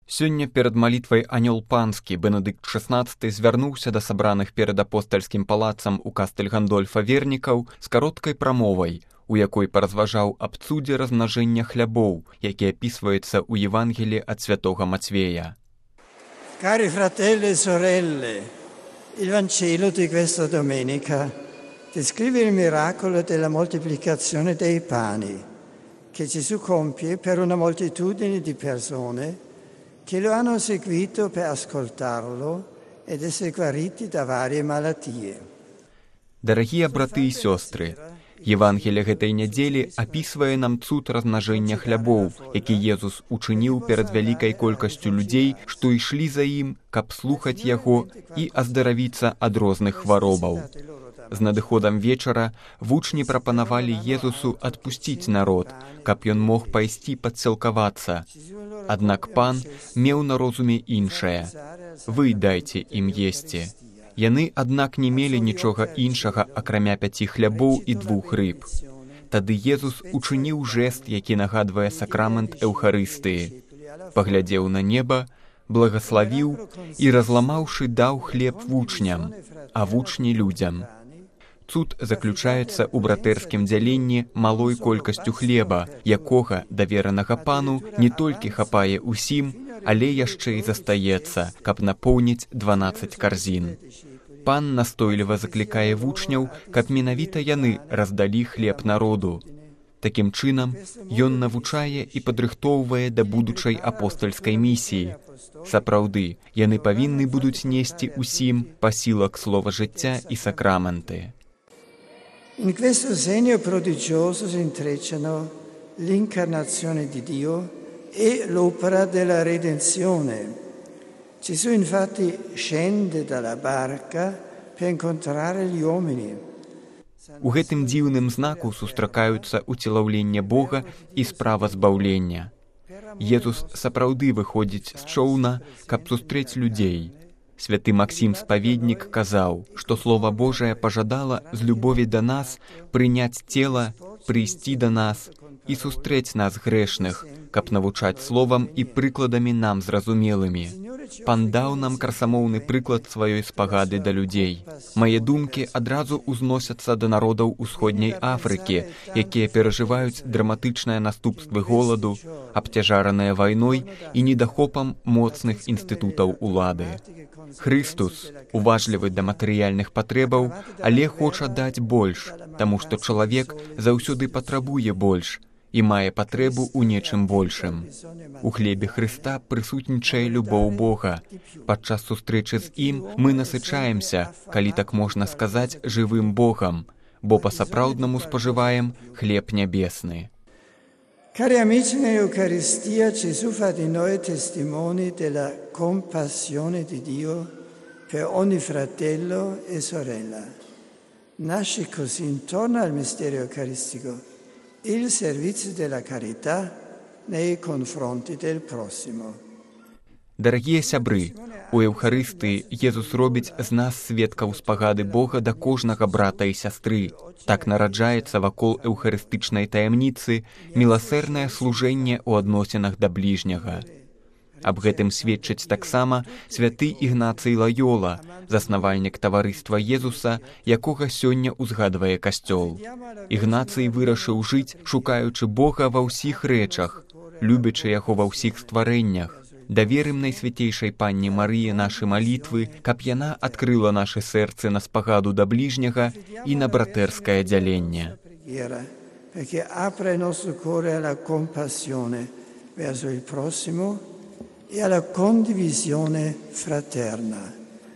Сёння перад малітвай «Анёл панскі» Бенедыкт XVI звярнуўся да сабраных перад апостальскім палацам у кастэль Гандольфа вернікаў з кароткай прамовай, у якой паразважаў аб цудзе размнажэння хлябоў, які апісваецца ў Евангелі ад святога Мацвея. Cari fratelli e sorelle, il Vangelo di questa domenica descrive il miracolo della moltiplicazione dei pani che Gesù compie per una moltitudine di persone che lo hanno seguito per ascoltarlo ed essere guariti da varie malattie. Дарагія браты і сёстры, Евангелие гэтай нядзелі апісвае нам цуд размнажэння хлябоў, які Езус учыніў перад вялікай колькасцю людзей, што ішлі за ім, каб слухаць яго і аздаравіцца ад розных хваробаў. З надыходам вечара вучні прапанавалі Езусу адпусціць народ, каб ён мог пайсці падсілкавацца. Аднак пан меў на розуме іншае. Вы дайце ім есці. Яны, аднак, не мелі нічога іншага, акрамя 5 хлябоў і 2 рыб. Тады Езус учыніў жэст, які нагадвае сакрамент Эўхарыстыі. Паглядзеў на неба, благаславіў і, разламаўшы, даў хлеб вучням, а вучні людзям. Цуд заключаецца ў братэрскім дзяленні малой колькасцю хлеба, якога, даверанага пану, не толькі хапае ўсім, але яшчэ і застаецца, каб напоўніць 12 карзін. Пан настойліва заклікае вучняў, каб менавіта яны раздалі хлеб народу. Такім чынам, ён навучае і падрыхтоўвае да будучай апостальскай місіі. Сапраўды, яны павінны будуць несці ўсім пасілак слова жыцця і сакраменты. In questo segno prodigioso si intrecciano l'incarnazione di Dio e l'opera della redenzione. Gesù infatti scende dalla barca per incontrare gli uomini. У гэтым дзіўным знаку сустракаюцца уцелаўленне Бога і справа збаўлення. Езус сапраўды выходзіць з чоўна, каб сустрэць людзей. Святы Максім Спаведнік казаў, што Слова Божае пажадала з любові да нас прыняць цела, прыйсці да нас і сустрэць нас грэшных, каб навучаць словам і прыкладамі нам зразумелымі. Пан даў нам красамоўны прыклад сваёй спагады да людзей. Мае думкі адразу ўзносяцца да народаў усходняй Афрыкі, якія перажываюць драматычныя наступствы голаду, абцяжараныя вайной і недахопам моцных інстытутаў улады. Хрыстус уважлівы да матэрыяльных патрэбаў, але хоча даць больш, таму што чалавек заўсёды патрабуе больш і мае патрэбу ў нечым большым. У хлебе Хрыста прысутнічае любоў Бога. Падчас сустрэчы з ім мы насычаемся, калі так можна сказаць, жывым Богам, бо па-сапраўднаму спажываем хлеб нябесны. Cari amici, nell'Eucaristia Gesù fa di noi testimoni della compassione di Dio per ogni fratello e sorella. Nasce così intorno al mistero eucaristico il servizio della carità nei confronti del prossimo. Дарагія сябры, у Еўхарыстыі Езус робіць з нас сведкаў спагады Бога да кожнага брата і сястры. Так нараджаецца вакол эўхарыстычнай таямніцы міласэрнае служэнне ў адносінах да бліжняга. Аб гэтым сведчыць таксама святы Ігнацый Лаёла, заснавальнік таварыства Езуса, якога сёння ўзгадвае касцёл. Ігнацый вырашыў жыць, шукаючы Бога ва ўсіх рэчах, любячы яго ва ўсіх стварэннях. Даверым Найсвятейшай Панне Марыі нашы малітвы, каб яна адкрыла нашы сэрцы на спагаду да бліжняга і на братэрскае дзяленне. Perché apre il nostro cuore alla compassione verso il prossimo e alla condivisione fraterna.